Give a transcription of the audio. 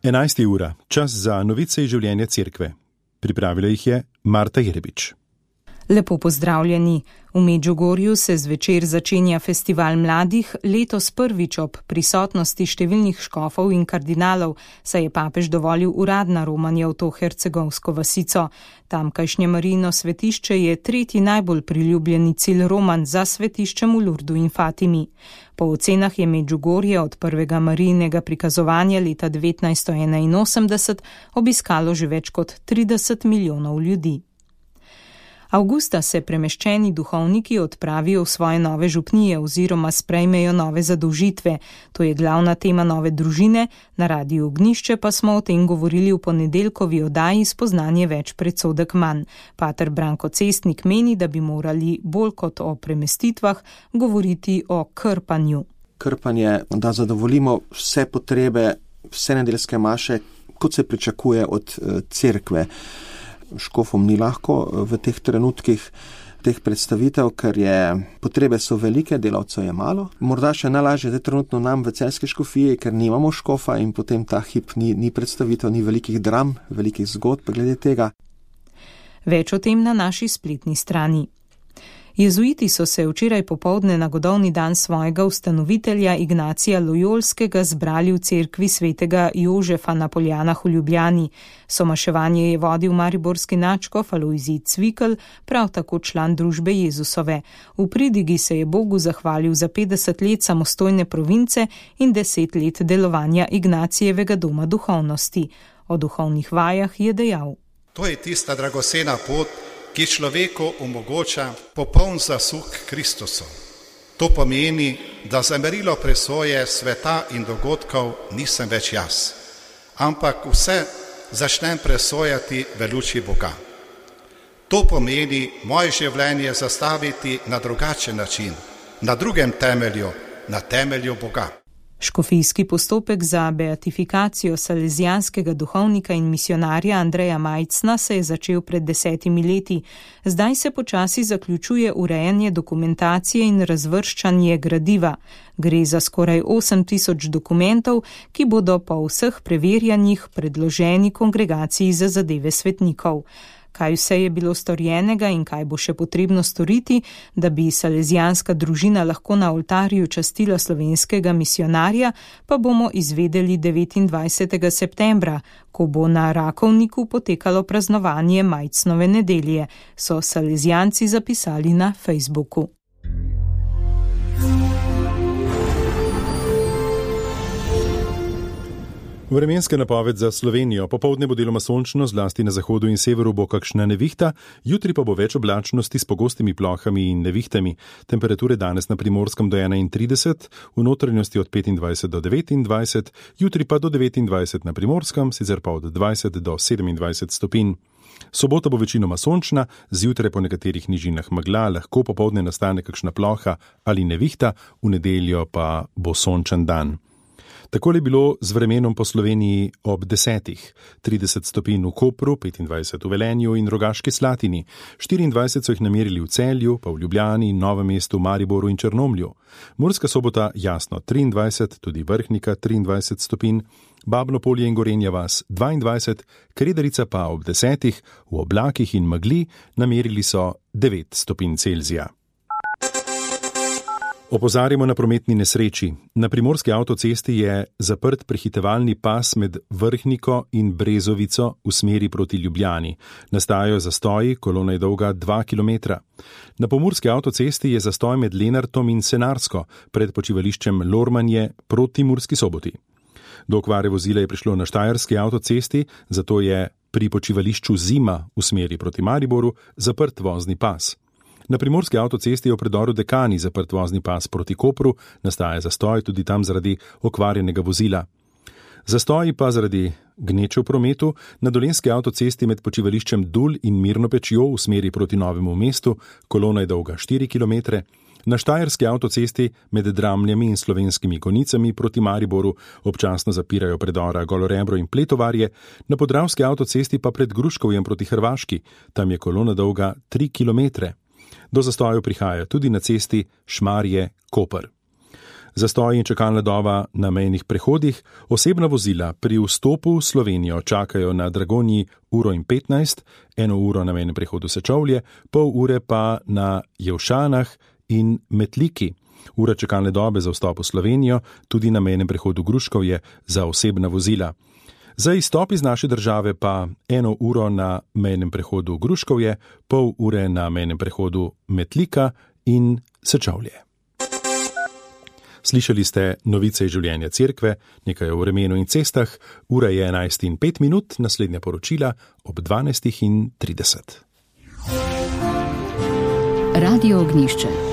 11. ura, čas za novice iz življenja cerkve. Pripravila jih je Marta Jerebič. Lepo pozdravljeni. V Medžugorju se zvečer začenja festival mladih, letos prvič ob prisotnosti številnih škofov in kardinalov, saj je papež dovolil uradna romanje v to hercegovsko vasico. Tamkajšnje Marijino svetišče je tretji najbolj priljubljeni cilj romanj za svetiščem v Lurdu in Fatimi. Po ocenah je Medžugorje od prvega Marijinega prikazovanja leta 1981 obiskalo že več kot 30 milijonov ljudi. Avgusta se premeščeni duhovniki odpravijo v svoje nove župnije oziroma sprejmejo nove zadolžitve. To je glavna tema Nove družine, na Radiu Ognjišče pa smo o tem govorili v ponedeljkovi oddaji Spoznanje več predsodek manj. Pater Branko Cestnik meni, da bi morali bolj kot o premestitvah govoriti o krpanju. Krpanje, da zadovoljimo vse potrebe, vse nedeljske maše, kot se pričakuje od cerkve. Škofom ni lahko v teh trenutkih teh predstavitev, ker potrebe so velike, delavcev je malo. Morda še najlažje je trenutno nam v Celjski škofiji, ker nimamo škofa in potem ta hip ni predstavitev, ni velikih dram, velikih zgodb glede tega. Več o tem na naši spletni strani. Jezuiti so se včeraj popoldne na godovni dan svojega ustanovitelja Ignacija Lojolskega zbrali v cerkvi svetega Jožefa na Poljanah v Ljubljani. Somaševanje je vodil mariborski nadškof Alojzij Cvikl, prav tako član družbe Jezusove. V pridigi se je Bogu zahvalil za 50 let samostojne province in 10 let delovanja Ignacijevega doma duhovnosti. O duhovnih vajah je dejal: To je tista dragocena pot, ki človeku omogoča popoln zasuk Kristusu. To pomeni, da za merilo presoje sveta in dogodkov nisem več jaz, ampak vse začnem presojati v luči Boga. To pomeni moje življenje zastaviti na drugačen način, na drugem temelju, na temelju Boga. Škofijski postopek za beatifikacijo salezijanskega duhovnika in misionarja Andreja Majcna se je začel pred 10 leti. Zdaj se počasi zaključuje urejanje dokumentacije in razvrščanje gradiva. Gre za skoraj 8000 dokumentov, ki bodo po vseh preverjanjih predloženi kongregaciji za zadeve svetnikov. Kaj vse je bilo storjenega in kaj bo še potrebno storiti, da bi salezijanska družina lahko na oltarju častila slovenskega misionarja, pa bomo izvedeli 29. septembra, ko bo na Rakovniku potekalo praznovanje Majcnove nedelje, so salezijanci zapisali na Facebooku. Vremenska napoved za Slovenijo. Popoldne bo deloma sončno, zlasti na zahodu in severu bo kakšna nevihta, jutri pa bo več oblačnosti s pogostimi plohami in nevihtami. Temperature danes na Primorskem do 31, v notranjosti od 25 do 29, jutri pa do 29 na Primorskem, sicer pa od 20 do 27 stopinj. Sobota bo večinoma sončna, zjutraj po nekaterih nižinah megla, lahko popoldne nastane kakšna ploha ali nevihta, v nedeljo pa bo sončen dan. Takole je bilo z vremenom po Sloveniji ob 10. 30 stopinj v Kopru, 25 v Velenju in Rogaški Slatini, 24 so jih namerili v Celju, pa v Ljubljani, Novem mestu, Mariboru in Črnomlju. Murska Sobota jasno 23, tudi Vrhnika 23 stopinj, Babno Polje in Gorenja vas 22, Kredarica pa ob 10, v oblakih in megli namerili so 9 stopinj Celzija. Opozarjamo na prometni nesreči. Na Primorski avtocesti je zaprt prehitevalni pas med Vrhniko in Brezovico v smeri proti Ljubljani. Nastajajo zastoji, kolona je dolga 2 km. Na Pomurski avtocesti je zastoj med Lenartom in Senarsko, pred počivališčem Lormanje proti Murski Soboti. Do okvare vozila je prišlo na Štajerski avtocesti, zato je pri počivališču Zima v smeri proti Mariboru zaprt vozni pas. Na Primorski avtocesti je v predoru Dekani zaprt vozni pas proti Kopru, nastaja zastoj tudi tam zaradi okvarjenega vozila. Zastoji pa zaradi gneče v prometu na Dolenjski avtocesti med počivališčem Dul in Mirno Pečjo v smeri proti Novemu mestu, kolona je dolga 4 km. Na Štajerski avtocesti med Dramljami in Slovenskimi Konicami proti Mariboru občasno zapirajo predora Golorebro in Pletovarje, na Podravski avtocesti pa pred Gruškovjem proti Hrvaški, tam je kolona dolga 3 km. Do zastojev prihaja tudi na cesti Šmarje-Koper. Zastoj in čakalna doba na mejnih prehodih, osebna vozila pri vstopu v Slovenijo čakajo na Dragonji 1:15, 1 uro na mejnem prehodu Sečovlje, pol ure pa na Jevšanah in Metliki. Ura čakalne dobe za vstop v Slovenijo tudi na mejnem prehodu Gruškovje za osebna vozila. Za izstop iz naše države pa 1 uro na mejnem prehodu Gruškovje, pol ure na mejnem prehodu Metlika in Sečovlje. Slišali ste novice iz življenja cerkve, nekaj o vremenu in cestah, ura je 11:05, naslednja poročila ob 12:30. Radio Ognjišče.